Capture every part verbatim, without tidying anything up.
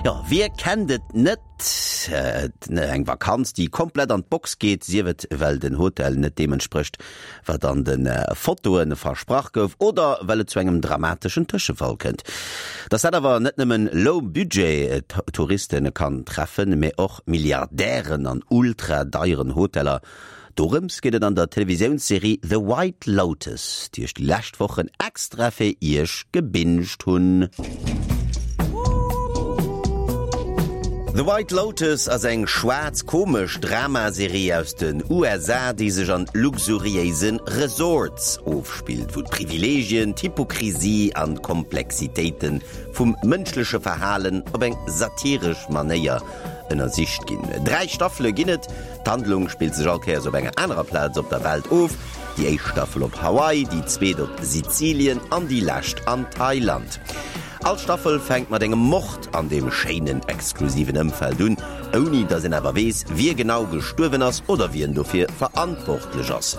Jo, wie kennt et net? Eng Vakanz, déi komplett an d'Box geet, sief et well den Hotel net deem entsprécht, wat an de Fotoe versprach gouf, oder well et zu engem dramateschen Tëschefall kënnt. Dass dat awer net nëmmen Low-Budget-Touriste kann treffen, mee och Milliardären an ultra-deieren Hoteller. Dorëms geet et an der Televisiounsserie The White Lotus, déi ech déi lescht Wochen extra fir iech gebinged hunn. The White Lotus ass eng schwaarz-komesch Dramaserie aus den U S A, déi sech an luxuriéise Resorts ofspillt, wou d'Privileegien, d'Hypokrisie an d'Komplexitéite vum mënschleche Verhalen op eng satiresch Manéier ënnersicht ginn. Dräi Staffele ginn et. D'Handlung spillt sech all Kéiers op enger anerer Plaz op der Welt of. Déi éischt Staffel op Hawaii, déi zweet op Sizilien an déi lescht an Thailand. All Staffel fänkt mat engem Mord an deem schéinen exklusiven Ëmfeld un, ouni datt een awer weess, wie genau gestuerwen ass oder wien dofir verantwortlech ass.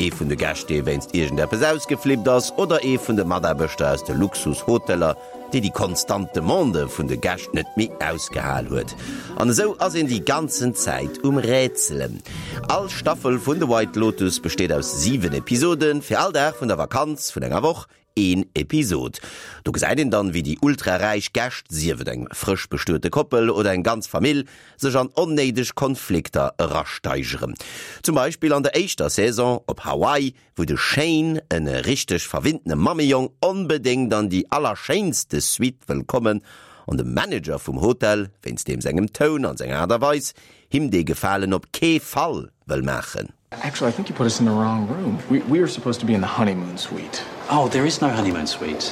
Ee vun de Gäscht, dee wéinst iergendeppes ausgeflippt ass, oder ee vun de Mataarbechter aus de Luxushoteller, déi déi konstant Demande vun de Gäscht net méi ausgehal huet. An esou ass een déi ganzen Zäit um Rätselen. All Staffel vun The White Lotus besteet aus siwen Episoden, fir all Dag vun der Vakanz vun enger Woch een Episod. Do gesäit een dann, wéi déi ultraräich Gäscht, sief et eng frësch bestuete Koppel oder eng ganz Famill, sech an onnéideg Konflikter erasteigeren. Zum Beispill an der éischter Saison op Hawaii, wou de Shane, e richteg verwinntene Mammejong, onbedéngt an déi allerschéinste Suite wëll kommen an de Manager vum Hotel, wéinst deem sengem Toun an senger Aart a Weis, him dee Gefalen op kee Fall wëll maachen. Actually, I think you put us in the wrong room. We, we are supposed to be in the honeymoon suite. Oh, there is no honeymoon suite.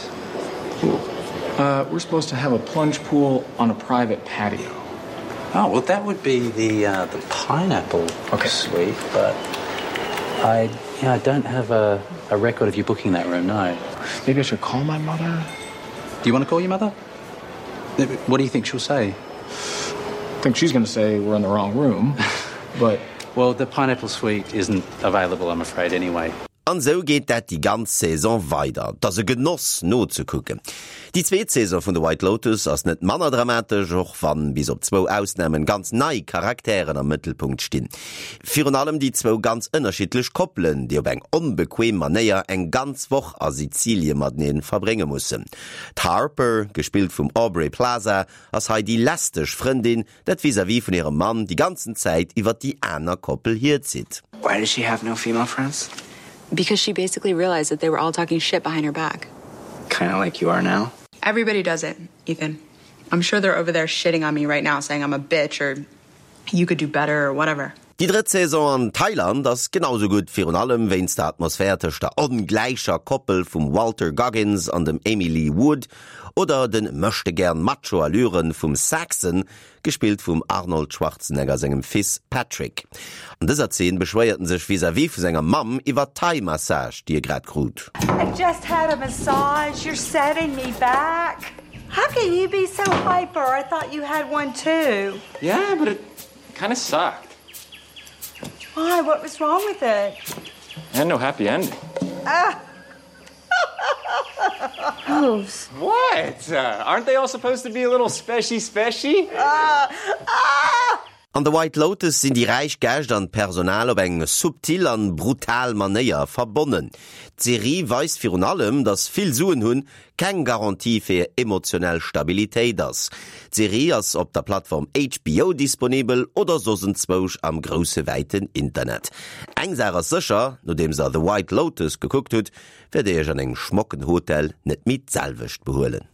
Uh, we're supposed to have a plunge pool on a private patio. Oh, well, that would be the uh, the pineapple Okay. suite, but I yeah, I don't have a, a record of you booking that room, no. Maybe I should call my mother? Do you want to call your mother? What do you think she'll say? I think she's going to say we're in the wrong room. But Well, the pineapple suite isn't available, I'm afraid, anyway. An esou geet dat déi ganz Saison weider. Et ass e Genoss nozekucken. Déi zweet Saison vun The White Lotus ass net manner dramatesch, och wann bis op zwou Ausnamen ganz nei Charakteren am Mëttelpunkt stinn. Virun allem déi zwou ganz ënnerschiddlech Koppelen, déi op eng onbequem Manéier eng ganz Woch a Sizilie matenee verbrénge mussen. D'Harper, gespillt vum Aubrey Plaza, ass hei déi lästeg Frëndin, dat vis-à-vis vun hirem Mann déi ganzen Zäit iwwer déi aner Koppel hierzitt. Why does she have no female friends? Because she basically realized that they were all talking shit behind her back. Kind of like you are now. Everybody does it, Ethan. I'm sure they're over there shitting on me right now, saying I'm a bitch or you could do better or whatever. Déi drëtt Saison an Thailand ass genau sou gutt, virun allem wéinst der Atmosphär tëscht der ongläicher Koppel vum Walter Goggins an dem Amy Lee Wood oder de Möchtegern-Macho-Allüren vum Saxon, gespillt vum Arnold Schwarzenegger sengem Fils Patrick. An dëser Zeen beschwéiert en sech vis-à-vis vu senger Mamm iwwer Thai-Massage, déi e grad krut. I just had a massage. You're setting me back. How can you be so hyper? I thought you had one too. Yeah, but it kind of sucked. Why? What was wrong with it? And no happy ending. Ah. Gross. What? Uh, aren't they all supposed to be a little speshy speshy? Ah. Ah. An The White Lotus sinn déi räich Gäscht an d'Personal op eng subtil an brutal Manéier verbonnen. D'Serie weist virun allem, dass vill Suen hunn keng Garantie fir emotionell Stabilitéit ass. D'Serie ass op der Plattform H B O disponibel oder soss enzwousch am grousse wäiten Internet. Eng Saach ass sécher, nodeems der The White Lotus gekuckt hutt, wäert dir iech an engem schmocken Hotel net méi d'selwecht behuelen.